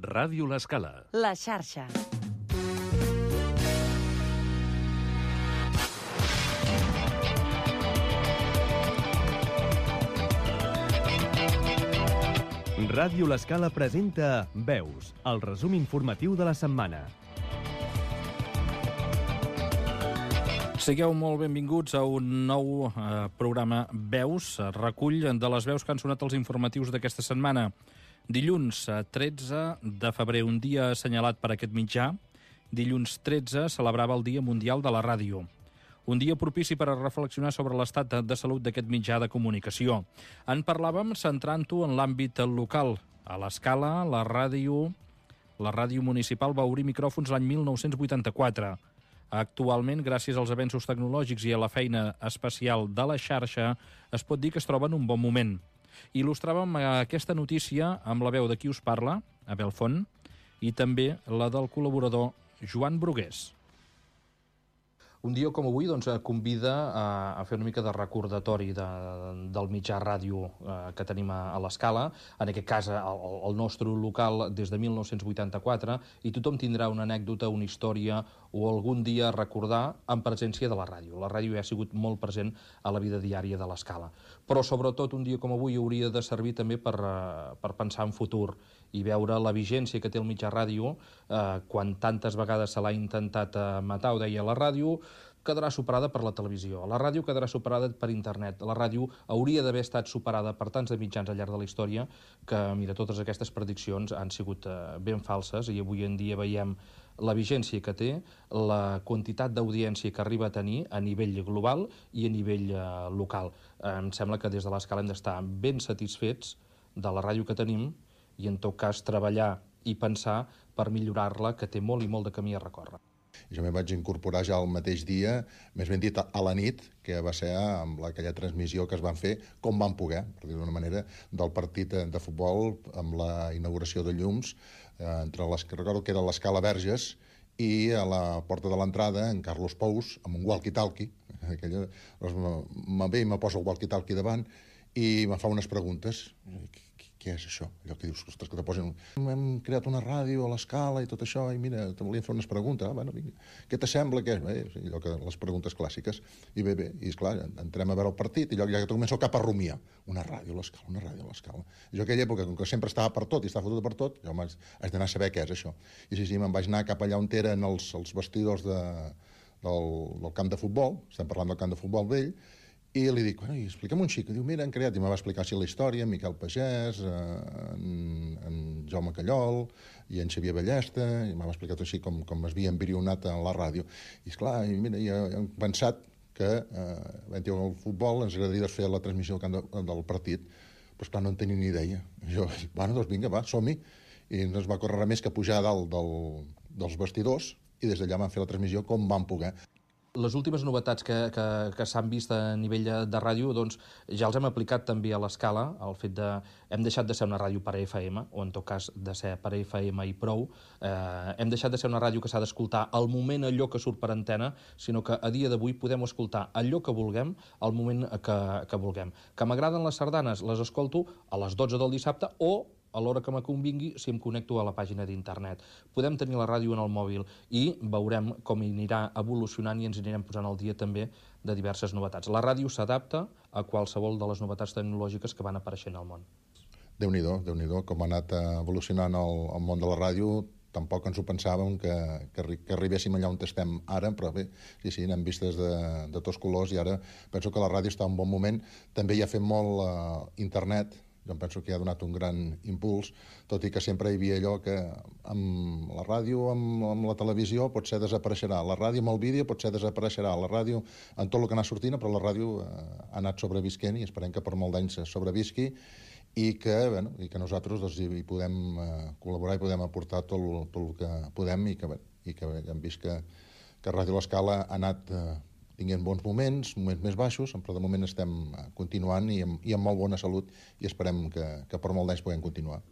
Ràdio L'Escala. La xarxa. Ràdio L'Escala presenta Veus, el resum informatiu de la setmana. Sigueu molt benvinguts a un nou programa Veus, recull de les veus que han sonat els informatius d'aquesta setmana. Dilluns 13 de febrer, un dia assenyalat per aquest mitjà. Dilluns 13 celebrava el Dia Mundial de la Ràdio. Un dia propici per a reflexionar sobre l'estat de salut d'aquest mitjà de comunicació. En parlàvem centrant-ho en l'àmbit local. A l'Escala, la ràdio municipal va obrir micròfons l'any 1984. Actualment, gràcies als avenços tecnològics i a la feina especial de la xarxa, es pot dir que es troba en un bon moment. Il·lustràvem aquesta notícia amb la veu de qui us parla, Abel Font, i també la del col·laborador Joan Brugués. Un dia com avui convida a fer una mica de recordatori del mitjà ràdio que tenim a l'Escala, en aquest cas el nostre local des de 1984, i tothom tindrà una anècdota, una història o algun dia a recordar en presència de la ràdio. La ràdio ja ha sigut molt present a la vida diària de l'Escala. Però sobretot un dia com avui hauria de servir també per pensar en futur i veure la vigència que té el mitjà ràdio quan tantes vegades se l'ha intentat matar, ho deia la ràdio, quedarà superada per la televisió. La ràdio quedarà superada per internet. La ràdio hauria d'haver estat superada per tants de mitjans al llarg de la història que, mira, totes aquestes prediccions han sigut ben falses i avui en dia veiem la vigència que té, la quantitat d'audiència que arriba a tenir a nivell global i a nivell local. Em sembla que des de l'Escala hem d'estar ben satisfets de la ràdio que tenim i, en tot cas, treballar i pensar per millorar-la, que té molt i molt de camí a recórrer. Jo m'hi vaig incorporar ja el mateix dia, més ben dit a la nit, que va ser amb aquella transmissió que es van fer, com van poder, per dir-ho d'una manera, del partit de futbol amb la inauguració de llums, recordo que era l'Escala Verges, i a la porta de l'entrada, en Carlos Pous, amb un walkie-talkie, me posa el walkie-talkie davant, i me fa unes preguntes. Què és això? Allò que dius, ostres, que te posen... Hem creat una ràdio a l'Escala i tot això, i mira, te volíem fer unes preguntes. Bueno, vinga, què t'assembla? Allò que les preguntes clàssiques. I bé, i esclar, entrem a veure el partit, i allò ja començo cap a rumiar. Una ràdio a l'Escala, una ràdio a l'Escala. Jo aquella època, com que sempre estava per tot i estava fotut per tot, jo haig d'anar a saber què és això. I sí, me'n vaig anar cap allà on eren els vestidors del camp de futbol, estem parlant del camp de futbol vell, i li dic, bueno, explica'm un xic. Diu, mira, han creat, i me va explicar així la història, en Miquel Pagès, en Jaume Callol, i en Xavier Ballesta, i m'ha explicat així com es havia embrionat a la ràdio. I esclar, mira, hem pensat que el futbol ens agradaria fer la transmissió del partit, però esclar, no en tenia ni idea. I jo, bueno, doncs vinga, va, som-hi. I no es va córrer més que pujar a dalt dels vestidors, i des d'allà van fer la transmissió com van poder. Les últimes novetats que s'han vist a nivell de ràdio, doncs, ja els hem aplicat també a l'Escala, el fet de... Hem deixat de ser una ràdio per FM, o en tot cas de ser per FM i prou. Hem deixat de ser una ràdio que s'ha d'escoltar al moment allò que surt per antena, sinó que a dia d'avui podem escoltar allò que vulguem al moment que vulguem. Que m'agraden les sardanes, les escolto a les 12 del dissabte o a l'hora que me convingui si em connecto a la pàgina d'internet. Podem tenir la ràdio en el mòbil i veurem com anirà evolucionant i ens anirem posant al dia també de diverses novetats. La ràdio s'adapta a qualsevol de les novetats tecnològiques que van apareixent al món. Déu-n'hi-do, com ha anat evolucionant el món de la ràdio. Tampoc ens ho pensàvem que arribéssim allà on estem ara, però bé, sí, n'hem vist de tots colors i ara penso que la ràdio està en un bon moment. També hi ha fet molt internet. Jo penso que ha donat un gran impuls, tot i que sempre hi havia allò que amb la ràdio, amb la televisió, potser desapareixerà. La ràdio amb el vídeo potser desapareixerà. La ràdio en tot el que anà sortint, però la ràdio ha anat sobrevisquent i esperem que per molt d'anys sobrevisqui i que nosaltres hi podem col·laborar i podem aportar tot el que podem i que hem vist que Ràdio L'Escala ha anat tinguent bons moments més baixos, però de moment estem continuant i amb molt bona salut i esperem que per molt d'anys puguem continuar.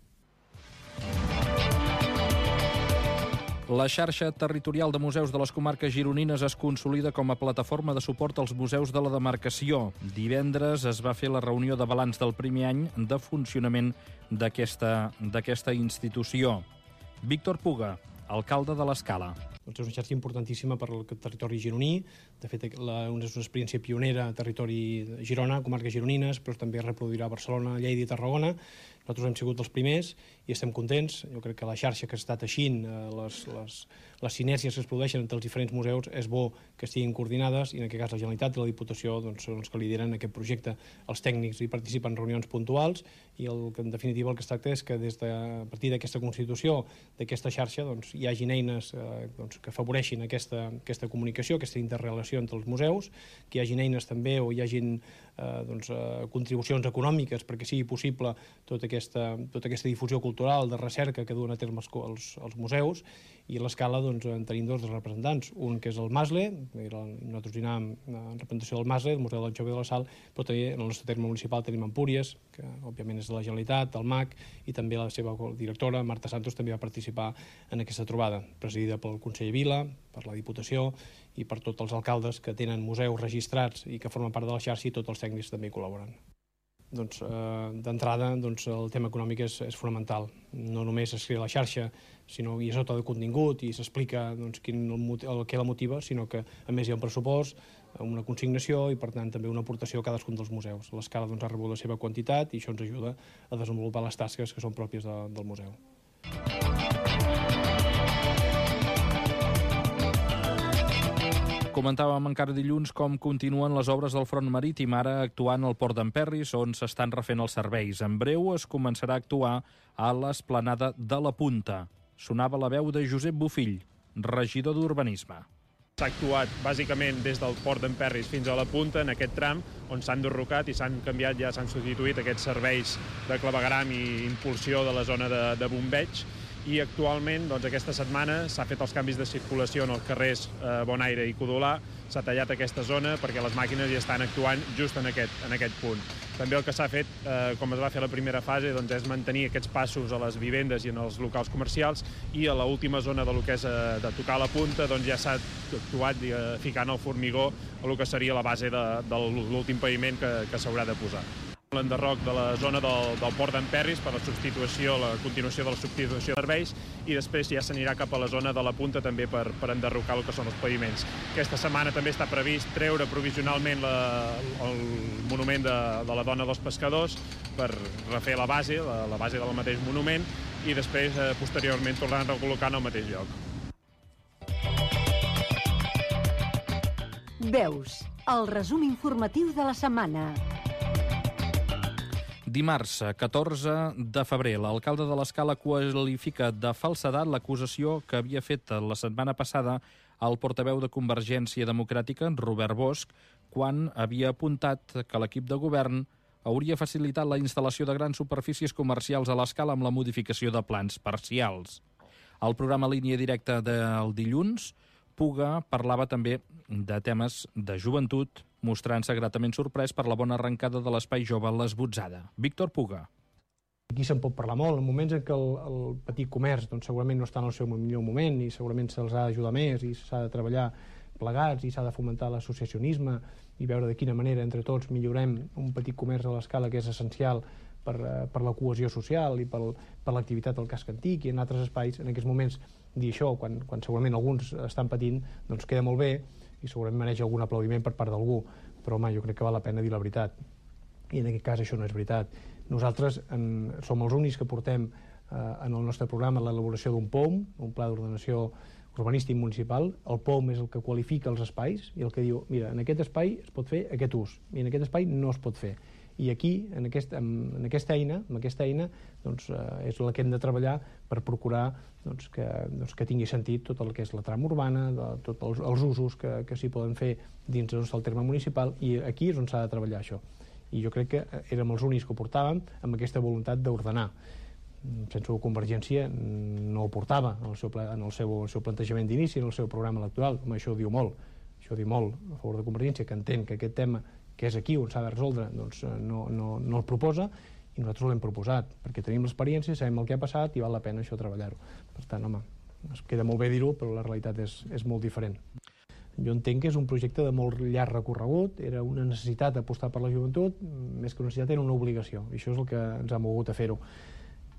La xarxa territorial de museus de les comarques gironines es consolida com a plataforma de suport als museus de la demarcació. Divendres es va fer la reunió de balanç del primer any de funcionament d'aquesta institució. Víctor Puga, alcalde de l'Escala. És una xarxa importantíssima per al territori gironí. De fet, és una experiència pionera a territori de Girona, comarques gironines, però també es reproduirà a Barcelona, Lleida i Tarragona. Nosaltres hem sigut els primers i estem contents. Jo crec que la xarxa que està teixint, les sinergies que es produeixen entre els diferents museus, és bo que estiguin coordinades, i en aquest cas la Generalitat i la Diputació són els que lideren aquest projecte. Els tècnics hi participen en reunions puntuals i en definitiva el que es tracta és que a partir d'aquesta constitució, d'aquesta xarxa, hi hagin eines que afavoreixin aquesta comunicació, aquesta interrelació entre els museus, que hi hagin eines també o hi hagin contribucions econòmiques perquè sigui possible tota aquesta difusió cultural de recerca que duen a terme els museus. I a l'Escala en tenim dos representants, un que és el MASLE, nosaltres hi anàvem en representació del MASLE, del Museu de l'Anxova i de la Sal, però també en el nostre terme municipal tenim Empúries, que òbviament és de la Generalitat, el MAC, i també la seva directora, Marta Santos, també va participar en aquesta trobada, presidida pel conseller Vila, per la Diputació i per tots els alcaldes que tenen museus registrats i que formen part de la xarxa, i tots els tècnics també hi col·laboren. D'entrada, el tema econòmic és fonamental. No només es crea la xarxa, sinó hi és tot el contingut i s'explica què la motiva, sinó que a més hi ha un pressupost, una consignació i per tant també una aportació a cadascun dels museus. L'Escala ha rebut la seva quantitat i això ens ajuda a desenvolupar les tasques que són pròpies del museu. Comentàvem encara dilluns com continuen les obres del front marítim, ara actuant al port d'Emperris, on s'estan refent els serveis. En breu es començarà a actuar a l'esplanada de la Punta. Sonava la veu de Josep Bofill, regidor d'Urbanisme. S'ha actuat bàsicament des del port d'Emperris fins a la Punta, en aquest tram, on s'han derrocat i s'han canviat, ja s'han substituït aquests serveis de clavegueram i impulsió de la zona de bombeig. I actualment, aquesta setmana, s'ha fet els canvis de circulació en els carrers Bonaire i Codolà, s'ha tallat aquesta zona perquè les màquines ja estan actuant just en aquest punt. També el que s'ha fet, com es va fer a la primera fase, és mantenir aquests passos a les vivendes i en els locals comercials, i a l'última zona del que és de tocar la Punta ja s'ha actuat ficant el formigó a el que seria la base de l'últim paviment que s'haurà de posar. L'enderroc de la zona del port d'Emperris per la continuació de la substitució de serveis, i després ja s'anirà cap a la zona de la Punta també per enderrocar el que són els paviments. Aquesta setmana també està previst treure provisionalment el monument de la dona dels pescadors per refer la base del mateix monument, i després posteriorment tornar a recol·locar en el mateix lloc. Veus, el resum informatiu de la setmana. Dimarts, 14 de febrer, l'alcalde de l'Escala qualifica de falsedat l'acusació que havia fet la setmana passada el portaveu de Convergència Democràtica, Robert Bosch, quan havia apuntat que l'equip de govern hauria facilitat la instal·lació de grans superfícies comercials a l'Escala amb la modificació de plans parcials. Al programa Línia Directa del dilluns, Puga parlava també de temes de joventut, mostrant-se gratament sorprès per la bona arrencada de l'espai jove l'Esbotzada. Víctor Puga. Aquí se'n pot parlar molt, en moments en què el petit comerç segurament no està en el seu millor moment i segurament se'ls ha d'ajudar més i s'ha de treballar plegats i s'ha de fomentar l'associacionisme i veure de quina manera entre tots millorem un petit comerç a l'Escala que és essencial per la cohesió social i per l'activitat del casc antic i en altres espais. En aquests moments dir això, quan segurament alguns estan patint, queda molt bé i segurament mereix algun aplaudiment per part d'algú, però home, jo crec que val la pena dir la veritat. I en aquest cas això no és veritat. Nosaltres som els únics que portem en el nostre programa l'elaboració d'un POM, un pla d'ordenació urbanístic municipal. El POM és el que qualifica els espais i el que diu, mira, en aquest espai es pot fer aquest ús i en aquest espai no es pot fer. I aquí, amb aquesta eina, és la que hem de treballar per procurar que tingui sentit tot el que és la trama urbana, tots els usos que s'hi poden fer dins del terme municipal, i aquí és on s'ha de treballar això. I jo crec que érem els únics que ho portàvem amb aquesta voluntat d'ordenar. Sense Convergència no ho portava en el seu plantejament d'inici, en el seu programa electoral. Això ho diu molt. Això ho diu molt a favor de Convergència, que entén que aquest tema que és aquí on s'ha de resoldre, no el proposa, i nosaltres l'hem proposat, perquè tenim l'experiència, sabem el que ha passat i val la pena això treballar-ho. Per tant, home, es queda molt bé dir-ho, però la realitat és molt diferent. Jo entenc que és un projecte de molt llarg recorregut, era una necessitat apostar per la joventut, més que una necessitat era una obligació, i això és el que ens ha mogut a fer-ho.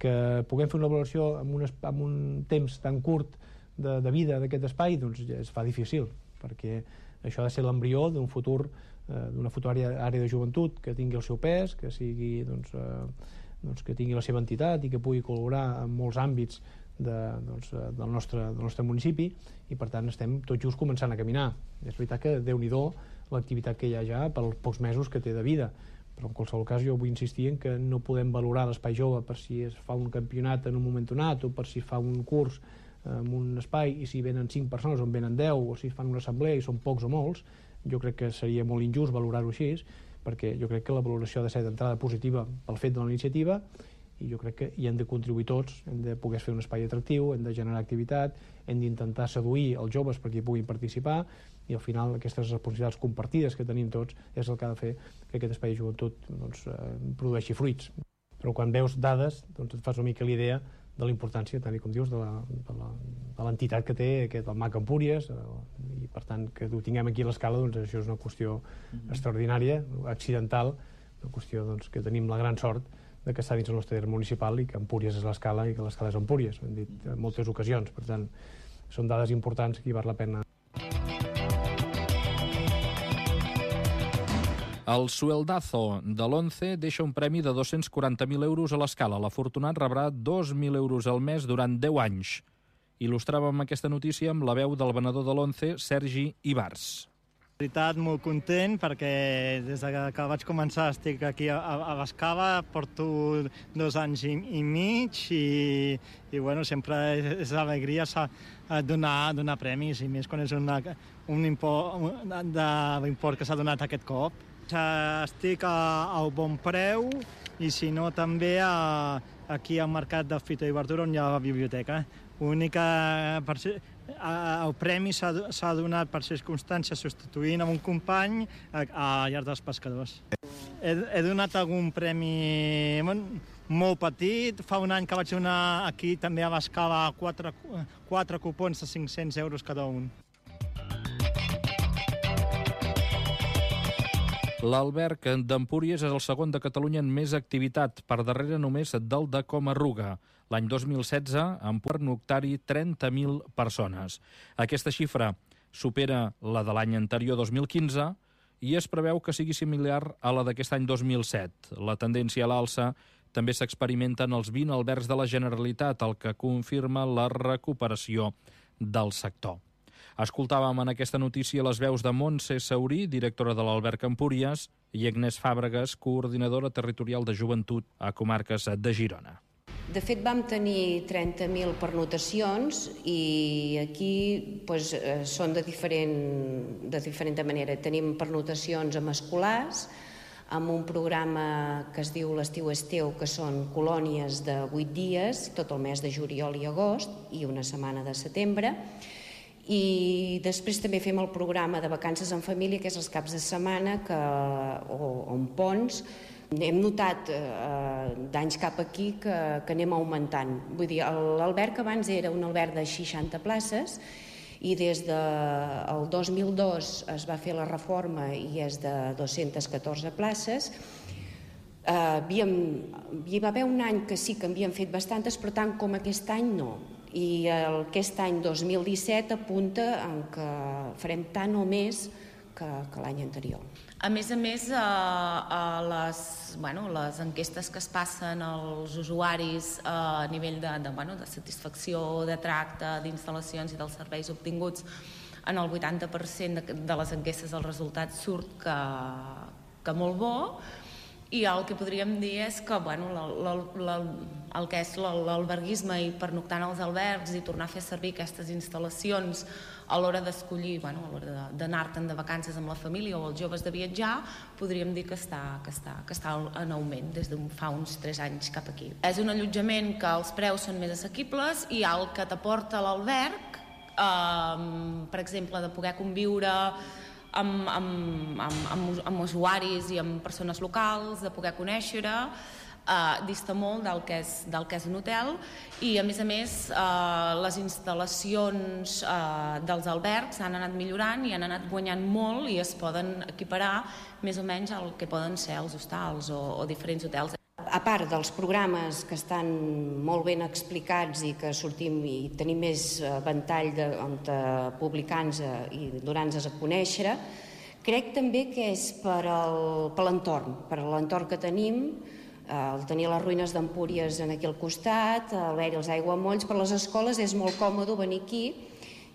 que puguem fer una valoració en un temps tan curt de vida d'aquest espai, doncs ja es fa difícil, perquè això ha de ser l'embrió d'un futur, d'una futura àrea de joventut que tingui el seu pes, que sigui, que tingui la seva entitat i que pugui col·laborar en molts àmbits del nostre municipi, i per tant estem tot just començant a caminar. És veritat que Déu-n'hi-do l'activitat que hi ha ja pels pocs mesos que té de vida, però en qualsevol cas jo vull insistir en que no podem valorar l'espai jove per si es fa un campionat en un moment donat o per si fa un curs en un espai i si venen 5 persones o en venen 10 o si fan una assemblea i són pocs o molts. Jo crec que seria molt injust valorar-ho així, perquè jo crec que la valoració ha de ser d'entrada positiva pel fet de la iniciativa, i jo crec que hi hem de contribuir tots, hem de poder fer un espai atractiu, hem de generar activitat, hem d'intentar seduir els joves perquè hi puguin participar, i al final aquestes responsabilitats compartides que tenim tots és el que ha de fer que aquest espai de joventut produeixi fruits. Però quan veus dades et fas una mica l'idea de la importància, tal com dius, de l'entitat que té el MAC Empúries, i per tant que ho tinguem aquí a l'escala, doncs això és una qüestió extraordinària, accidental, una qüestió que tenim la gran sort de que està dins el nostre terme municipal i que Empúries és l'escala i que l'escala és Empúries, ho hem dit en moltes ocasions. Per tant, són dades importants que hi val la pena. El sueldazo de l'11 deixa un premi de 240.000 euros a l'escala. L'afortunat rebrà 2.000 euros al mes durant 10 anys. Il·lustràvem aquesta notícia amb la veu del venedor de l'11, Sergi Ibars. En veritat, molt content, perquè des que vaig començar estic aquí a l'Escala, porto 2 anys i mig i bueno, sempre és alegria donar premis, i més quan és un import que s'ha donat aquest cop. Estic al Bon Preu i si no també aquí al Mercat de Fita i Verdura on hi ha la biblioteca. El premi s'ha donat per circumstàncies substituint un company a Llar dels Pescadors. He donat algun premi molt petit. Fa un any que vaig donar aquí també a l'Escala 4 cupons de 500 euros cada un. L'Alberg d'Empúries és el segon de Catalunya en més activitat, per darrere només del de Comarruga. L'any 2016, en pernoctar-hi 30.000 persones. Aquesta xifra supera la de l'any anterior, 2015, i es preveu que sigui similar a la d'aquest any 2007. La tendència a l'alça també s'experimenta en els 20 albergs de la Generalitat, el que confirma la recuperació del sector. Escoltàvem en aquesta notícia les veus de Montse Saurí, directora de l'Alberg Empúries, i Agnès Fàbregas, coordinadora territorial de joventut a comarques de Girona. De fet, vam tenir 30.000 pernotacions i aquí són de diferent manera. Tenim pernotacions amb escolars, amb un programa que es diu l'Estiu és teu, que són colònies de 8 dies, tot el mes de juliol i agost, i una setmana de setembre. I després també fem el programa de vacances en família, que és els caps de setmana o en ponts. Hem notat d'anys cap aquí que anem augmentant. Vull dir, l'alberg abans era un alberg de 60 places i des del 2002 es va fer la reforma i és de 214 places. Hi va haver un any que sí que havíem fet bastantes, però tant com aquest any no. I aquest any 2017 apunta que farem tant o més que l'any anterior. A més, les enquestes que es passen als usuaris a nivell de satisfacció, de tracte, d'instal·lacions i dels serveis obtinguts, en el 80% de les enquestes el resultat surt que molt bo, i el que podríem dir és que el que és l'alberguisme i pernoctar en els albergs i tornar a fer servir aquestes instal·lacions a l'hora d'escollir, a l'hora d'anar-te'n de vacances amb la família o els joves de viatjar, podríem dir que està en augment des de fa uns 3 anys cap aquí. És un allotjament que els preus són més assequibles i el que t'aporta l'alberg, per exemple, de poder conviure amb usuaris i amb persones locals, de poder conèixer, dista molt del que és un hotel, i a més les instal·lacions dels albergs han anat millorant i han anat guanyant molt i es poden equiparar més o menys al que poden ser els hostals o diferents hotels. a part dels programes que estan molt ben explicats i que sortim i tenim més ventall de publicar-nos i donar-nos a conèixer, crec també que és per l'entorn que tenim, el tenir les ruïnes d'Empúries aquí al costat, haver-hi els aiguamolls, per les escoles és molt còmode venir aquí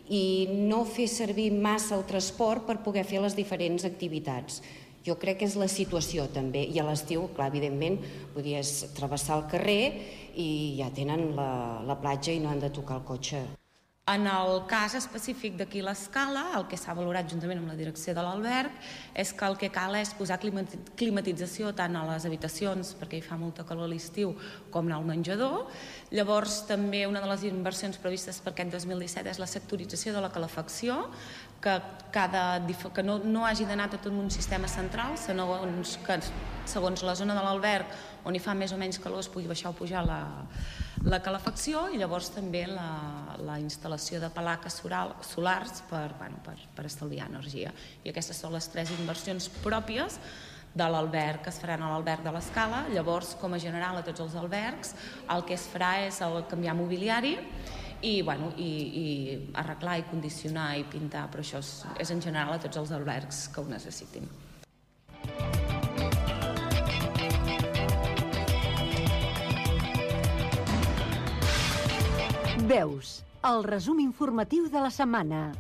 i no fer servir massa el transport per poder fer les diferents activitats. Jo crec que és la situació també, i a l'estiu, clar, evidentment, podies travessar el carrer i ja tenen la platja i no han de tocar el cotxe. En el cas específic d'aquí l'Escala, el que s'ha valorat juntament amb la direcció de l'alberg és que el que cal és posar climatització tant a les habitacions, perquè hi fa molta calor a l'estiu, com al menjador. Llavors, també una de les inversions previstes per aquest 2017 és la sectorització de la calefacció, que no hagi d'anar tot en un sistema central, segons la zona de l'alberg, on hi fa més o menys calor, es pugui baixar o pujar la calefacció, i llavors també la instal·lació de plaques solars per estalviar energia. I aquestes són les 3 inversions pròpies de l'alberg que es faran a l'alberg de l'Escala. Llavors, com a general a tots els albergs, el que es farà és canviar mobiliari i arreglar i condicionar i pintar, però això és en general a tots els albergs que ho necessitin. Veus, el resum informatiu de la setmana.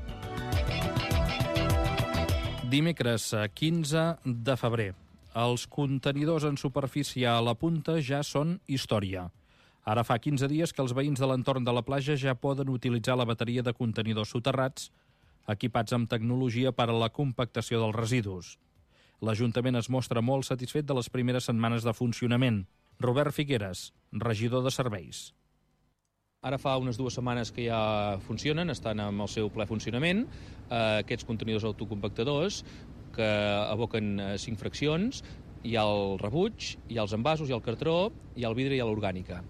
Dimecres 15 de febrer. Els contenidors en superfície a la punta ja són història. Ara fa 15 dies que els veïns de l'entorn de la platja ja poden utilitzar la bateria de contenidors soterrats, equipats amb tecnologia per a la compactació dels residus. L'Ajuntament es mostra molt satisfet de les primeres setmanes de funcionament. Robert Figueres, regidor de Serveis. Ara fa unes 2 setmanes que ja funcionen, estan amb el seu ple funcionament, aquests contenidors autocompactadors que aboquen 5 fraccions. Hi ha el rebuig, hi ha els envasos, hi ha el cartró, hi ha el vidre i hi ha l'orgànica.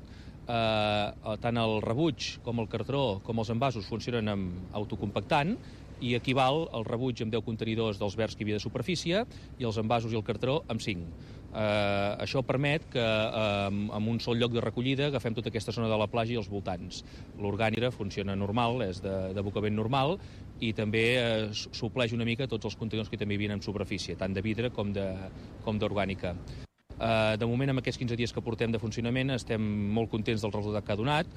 Tant el rebuig com el cartró com els envasos funcionen amb autocompactant i equival el rebuig amb 10 contenidors dels verds que hi havia de superfície i els envasos i el cartró amb 5. Això permet que en un sol lloc de recollida agafem tota aquesta zona de la platja i els voltants. L'orgànica funciona normal, és d'abocament normal, i també supleix una mica tots els contenidors que també hi havia en superfície, tant de vidre com d'orgànica. De moment, amb aquests 15 dies que portem de funcionament, estem molt contents del resultat que ha donat,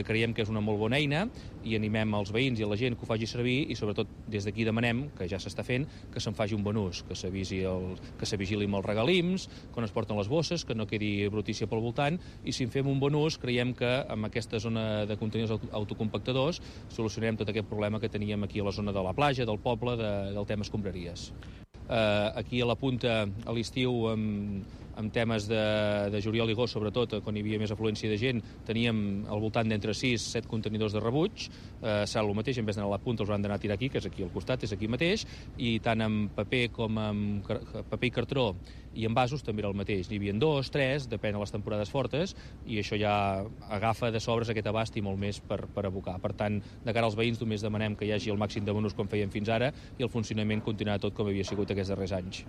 creiem que és una molt bona eina i animem els veïns i a la gent que ho faci servir i sobretot des d'aquí demanem, que ja s'està fent, que se'n faci un bon ús, que se vigili amb els regalims, quan es porten les bosses, que no quedi brutícia pel voltant, i si en fem un bon ús creiem que amb aquesta zona de contenidors autocompactadors solucionarem tot aquest problema que teníem aquí a la zona de la platja, del poble, del tema escombraries. Aquí a la punta, a l'estiu, amb temes de juliol i agost, sobretot, quan hi havia més afluència de gent, teníem al voltant d'entre 6 i 7 contenidors de rebuig. Serà el mateix, en vez d'anar a la punta els han d'anar a tirar aquí, que és aquí al costat, és aquí mateix, i tant amb paper com amb paper i cartró i envasos també era el mateix. N'hi havia 2, 3, depèn de les temporades fortes, i això ja agafa de sobres aquest abast i molt més per abocar. Per tant, de cara als veïns només demanem que hi hagi el màxim de bonus com fèiem fins ara i el funcionament continuarà tot com havia sigut aquests darrers anys.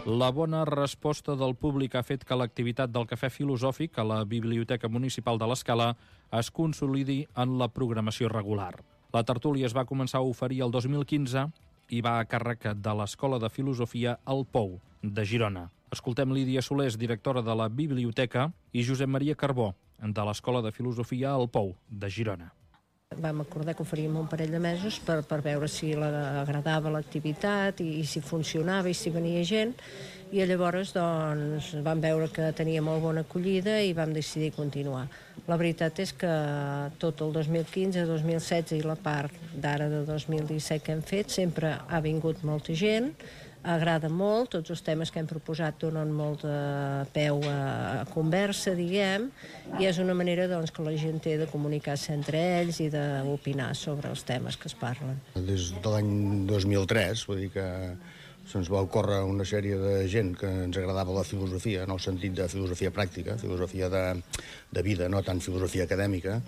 La bona resposta del públic ha fet que l'activitat del Cafè Filosòfic a la Biblioteca Municipal de l'Escala es consolidi en la programació regular. La tertúlia es va començar a oferir el 2015 i va a càrrec de l'Escola de Filosofia El Pou, de Girona. Escoltem Lídia Solés, directora de la biblioteca, i Josep Maria Carbó, de l'Escola de Filosofia El Pou, de Girona. Vam acordar que ho faríem un parell de mesos per veure si agradava l'activitat i si funcionava i si venia gent, i llavors doncs, vam veure que tenia molt bona acollida i vam decidir continuar. La veritat és que tot el 2015, 2016 i la part d'ara de 2017 que hem fet sempre ha vingut molta gent, agrada molt, tots els temes que hem proposat donen molt de peu a conversa, diguem, i és una manera doncs, que la gent té de comunicar-se entre ells i d'opinar sobre els temes que es parlen. Des de l'any 2003, vull dir que se'ns va ocórrer una sèrie de gent que ens agradava la filosofia, en el sentit de filosofia pràctica, filosofia de vida, no tant filosofia acadèmica.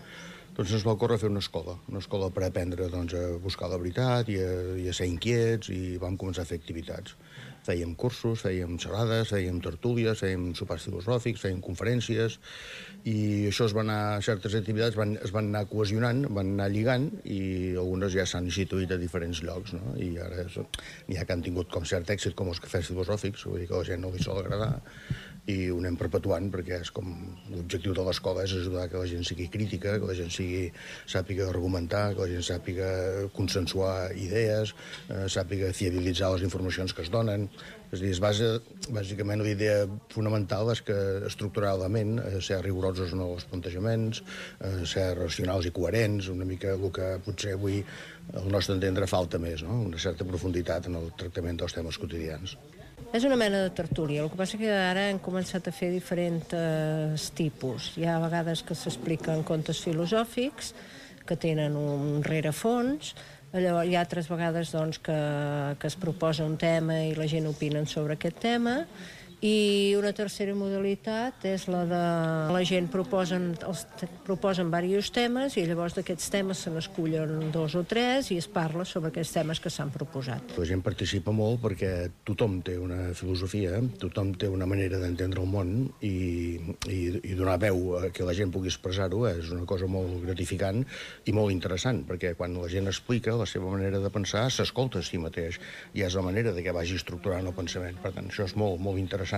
Doncs ens va ocórrer fer una escola per aprendre doncs, a buscar la veritat i a ser inquiets, i vam començar a fer activitats. Fèiem cursos, fèiem xerrades, fèiem tertúlies, fèiem sopars filosòfics, fèiem conferències, i això certes activitats es van anar cohesionant, van anar lligant, i algunes ja s'han instituït a diferents llocs, no? I ara n'hi ha que han tingut com cert èxit, com els cafès filosòfics, vull dir que a la gent no li sol agradar, i ho anem perpetuant, perquè és com l'objectiu de l'escola és ajudar que la gent sigui crítica, que la gent sàpiga argumentar, que la gent sàpiga consensuar idees, sàpiga fiabilitzar les informacions que es donen. És a dir, bàsicament la idea fonamental és que estructuralment ser rigorosos en els plantejaments, ser racionals i coherents, una mica el que potser avui al nostre entendre falta més, no? Una certa profunditat en el tractament dels temes quotidians. És una mena de tertúlia, el que passa que ara hem començat a fer diferents tipus. Hi ha vegades que s'expliquen contes filosòfics, que tenen un rerefons, llavors hi ha altres vegades que es proposa un tema i la gent opina sobre aquest tema, i una tercera modalitat és la de la gent proposen diversos temes i llavors d'aquests temes se n'escullen 2 o 3 i es parla sobre aquests temes que s'han proposat. La gent participa molt perquè tothom té una filosofia, tothom té una manera d'entendre el món, i donar veu a que la gent pugui expressar-ho és una cosa molt gratificant i molt interessant, perquè quan la gent explica la seva manera de pensar s'escolta a si mateix i és la manera de que vagi estructurant el pensament. Per tant, això és molt, molt interessant.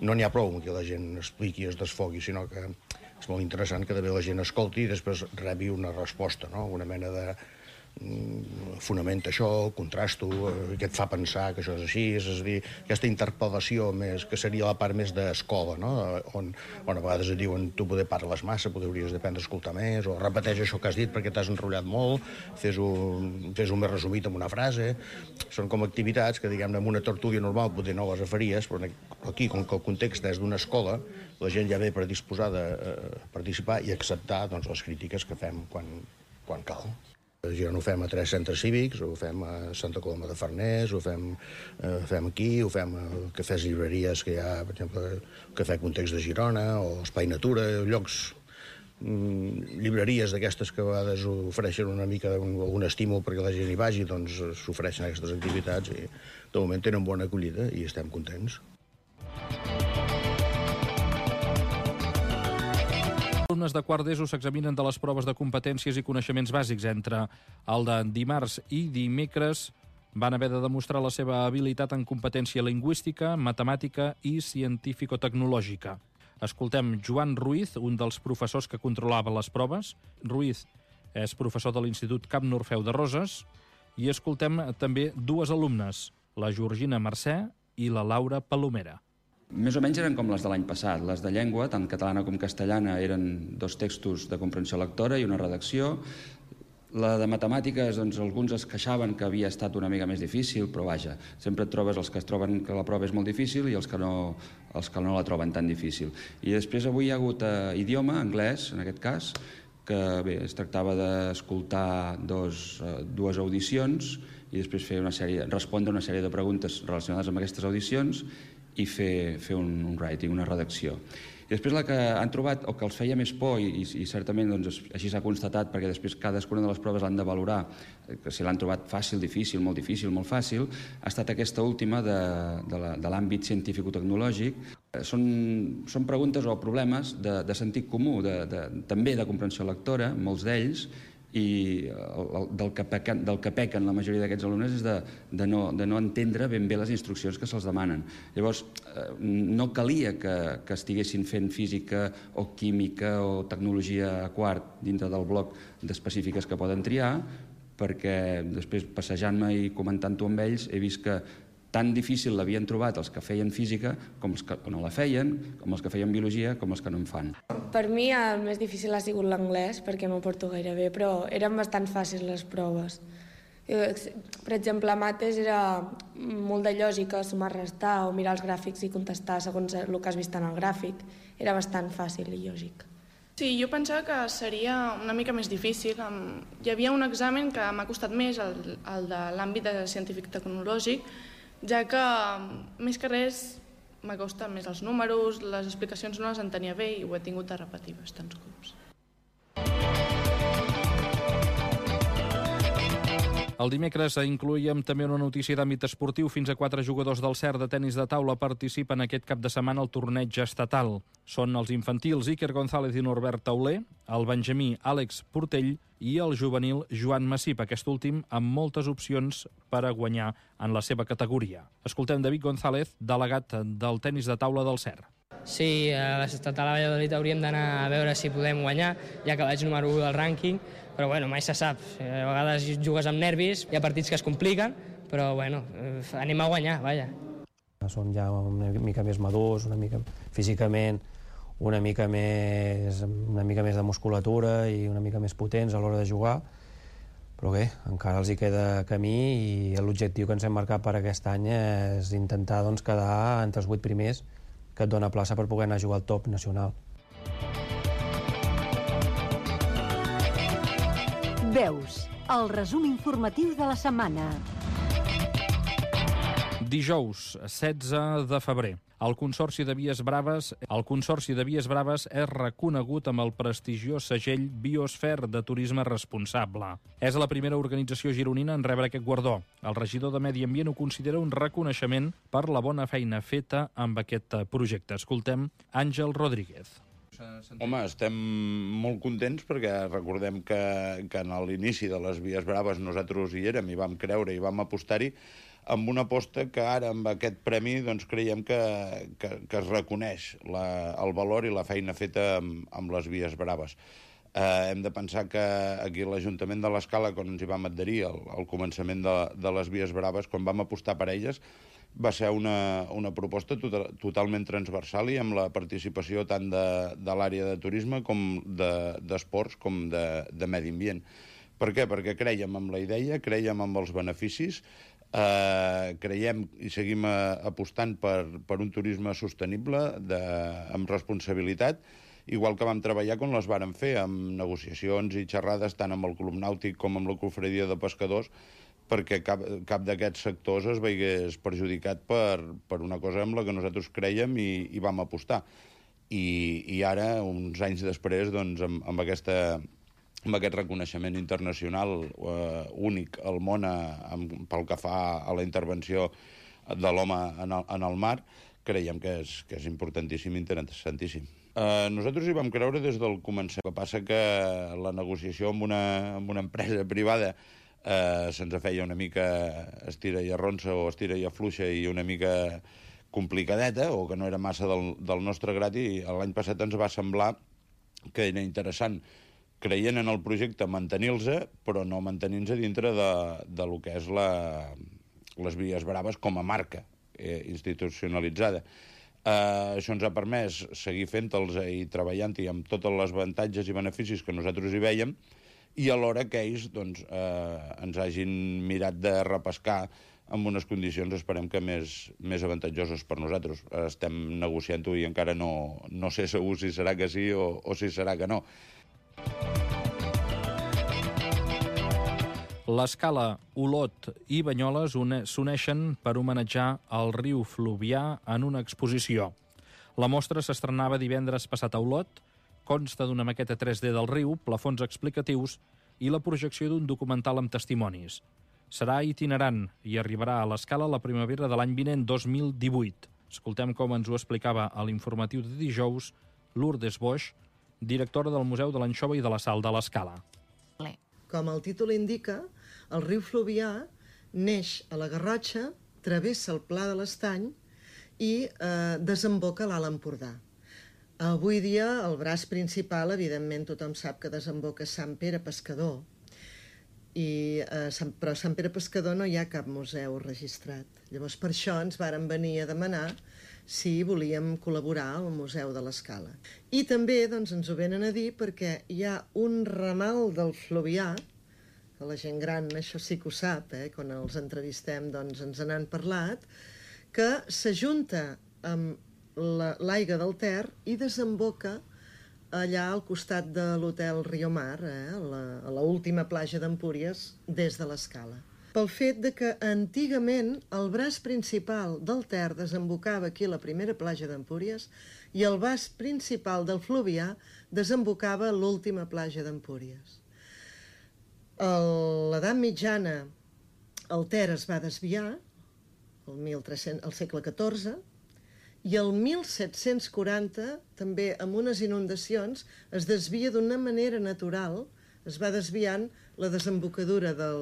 No n'hi ha prou que la gent expliqui i es desfogui, sinó que és molt interessant que també la gent escolti i després rebi una resposta, no? Una mena de fonamenta això, contrasto, què et fa pensar que això és així, és a dir, aquesta interpel·lació més, que seria la part més d'escola, no? On a vegades et diuen tu poder parles massa, poder hauries d'aprendre a escoltar més, o repeteix això que has dit perquè t'has enrotllat molt, fes-ho més resumit en una frase. Són com activitats que, diguem-ne, en una tertúlia normal potser no les faries, però aquí, com que el context és d'una escola, la gent ja ve predisposada a participar i acceptar les crítiques que fem quan cal. A Girona ho fem a 3 centres cívics, ho fem a Santa Coloma de Farners, ho fem aquí, ho fem a cafès i llibreries que hi ha, per exemple, el Cafè Context de Girona, o Espai Natura, llocs, llibreries d'aquestes que a vegades ofereixen una mica un estímul perquè la gent hi vagi, doncs s'ofereixen aquestes activitats i de moment tenen bona acollida i estem contents. Els alumnes de quart d'ESO s'examinen de les proves de competències i coneixements bàsics. Entre el de dimarts i dimecres van haver de demostrar la seva habilitat en competència lingüística, matemàtica i científico-tecnològica. Escoltem Joan Ruiz, un dels professors que controlava les proves. Ruiz és professor de l'Institut Camp Orfeu de Roses. I escoltem també 2 alumnes, la Georgina Mercè i la Laura Palomera. Més o menys eren com les de l'any passat. Les de llengua, tant catalana com castellana, eren 2 textos de comprensió lectora i una redacció. La de matemàtiques, doncs, alguns es queixaven que havia estat una mica més difícil, però vaja, sempre et trobes els que es troben que la prova és molt difícil i els que no la troben tan difícil. I després avui hi ha hagut idioma, anglès, en aquest cas, que bé, es tractava d'escoltar 2 audicions i després respondre una sèrie de preguntes relacionades amb aquestes audicions i fer un writing, una redacció. I després la que han trobat, o que els feia més por, i certament així s'ha constatat, perquè després cadascuna de les proves l'han de valorar, que si l'han trobat fàcil, difícil, molt fàcil, ha estat aquesta última de l'àmbit científico-tecnològic. Són preguntes o problemes de sentit comú, també de comprensió lectora, molts d'ells, i del que pequen la majoria d'aquests alumnes és de no entendre ben bé les instruccions que se'ls demanen. Llavors, no calia que estiguessin fent física o química o tecnologia a quart dintre del bloc d'específiques que poden triar, perquè després, passejant-me i comentant-ho amb ells, he vist que tan difícil l'havien trobat els que feien física com els que no la feien, com els que feien biologia, com els que no en fan. Per mi el més difícil ha sigut l'anglès, perquè no ho porto gaire bé, però eren bastant fàcils les proves. Per exemple, a mates era molt de lògica, sumar, restar, o mirar els gràfics i contestar segons el que has vist en el gràfic. Era bastant fàcil i lògic. Sí, jo pensava que seria una mica més difícil. Hi havia un examen que m'ha costat més, el de l'àmbit científic-tecnològic, ja que, més que res, m'ha costat més els números, les explicacions no les entenia bé i ho he tingut de repetir bastants cops. El dimecres incloíem també una notícia d'àmbit esportiu. Fins a 4 jugadors del CER de tenis de taula participen aquest cap de setmana al torneig estatal. Són els infantils Iker González i Norbert Tauler, el benjamí Àlex Portell i el juvenil Joan Massip, aquest últim amb moltes opcions per a guanyar en la seva categoria. Escoltem David González, delegat del tenis de taula del CER. Sí, a l'estatal a Valladolid hauríem d'anar a veure si podem guanyar, ja que vaig número 1 del rànquing, però bueno, mai se sap. A vegades jugues amb nervis, hi ha partits que es compliquen, però bueno, anem a guanyar, vaja. Som ja una mica més madurs, una mica físicament, una mica més de musculatura i una mica més potents a l'hora de jugar, però bé, encara els hi queda camí i l'objectiu que ens hem marcat per aquest any és intentar quedar entre els 8 primers, que et dona plaça per poder anar a jugar al top nacional. Veus, el resum informatiu de la setmana. Dijous, 16 de febrer. El Consorci de Vies Braves és reconegut amb el prestigiós segell Biosfer de Turisme Responsable. És la primera organització gironina en rebre aquest guardó. El regidor de Medi Ambient ho considera un reconeixement per la bona feina feta amb aquest projecte. Escoltem Àngel Rodríguez. Home, estem molt contents perquè recordem que en l'inici de les Vies Braves nosaltres hi érem i vam creure i vam apostar-hi amb una aposta que ara amb aquest premi creiem que es reconeix el valor i la feina feta amb les Vies Braves. Hem de pensar que aquí l'Ajuntament de l'Escala, quan ens hi vam adherir al començament de les Vies Braves, quan vam apostar per elles, va ser una proposta totalment transversal i amb la participació tant de l'àrea de turisme com d'esports com de medi ambient. Per què? Perquè creiem en la idea, creiem en els beneficis, creiem i seguim apostant per un turisme sostenible, amb responsabilitat, igual que vam treballar quan les vàrem fer, amb negociacions i xerrades tant amb el Club Nàutic com amb la Confraria de Pescadors, perquè cap d'aquests sectors es veiés perjudicat per una cosa amb la que nosaltres creiem i vam apostar. I ara, uns anys després, amb aquest reconeixement internacional únic al món pel que fa a la intervenció de l'home en el mar, creiem que és importantíssim i interessantíssim. Nosaltres hi vam creure des del començament. El que passa que la negociació amb una empresa privada se'ns feia una mica estira i arronsa o estira i afluixa i una mica complicadeta, o que no era massa del nostre grat, i l'any passat ens va semblar que era interessant, creient en el projecte, mantenir-los, però no mantenir-nos dintre de lo que és les Vies Braves com a marca institucionalitzada. Això ens ha permès seguir fent-los i treballant-hi amb tots els avantatges i beneficis que nosaltres hi veiem, i alhora que ells ens hagin mirat de repescar amb unes condicions, esperem que més avantatjoses per nosaltres. Estem negociant-ho i encara no sé segur si serà que sí o si serà que no. L'Escala, Olot i Banyoles s'uneixen per homenatjar el riu Fluvià en una exposició. La mostra s'estrenava divendres passat a Olot, consta d'una maqueta 3D del riu, plafons explicatius i la projecció d'un documental amb testimonis. Serà itinerant i arribarà a l'Escala la primavera de l'any vinent, 2018. Escoltem com ens ho explicava a l'informatiu de dijous Lourdes Boix, directora del Museu de l'Anxova i de la Sal de l'Escala. Com el títol indica, el riu Fluvià neix a la Garrotxa, travessa el Pla de l'Estany i desemboca a l'Alt Empordà. Avui dia el braç principal, evidentment tothom sap que desemboca a Sant Pere Pescador, però a Sant Pere Pescador no hi ha cap museu registrat. Llavors per això ens varen venir a demanar si volíem col·laborar al Museu de l'Escala. I també ens ho venen a dir perquè hi ha un ramal del Fluvià, que la gent gran això sí que ho sap, quan els entrevistem ens n'han parlat, que s'ajunta amb l'aigua del Ter i desemboca allà al costat de l'hotel Riomar, a l'última platja d'Empúries, des de l'Escala. Pel fet que antigament el braç principal del Ter desembocava aquí a la primera platja d'Empúries i el braç principal del Fluvià desembocava a l'última platja d'Empúries. A l'edat mitjana el Ter es va desviar, al segle XIV, i el 1740, també amb unes inundacions, es desvia d'una manera natural, es va desviant la desembocadura del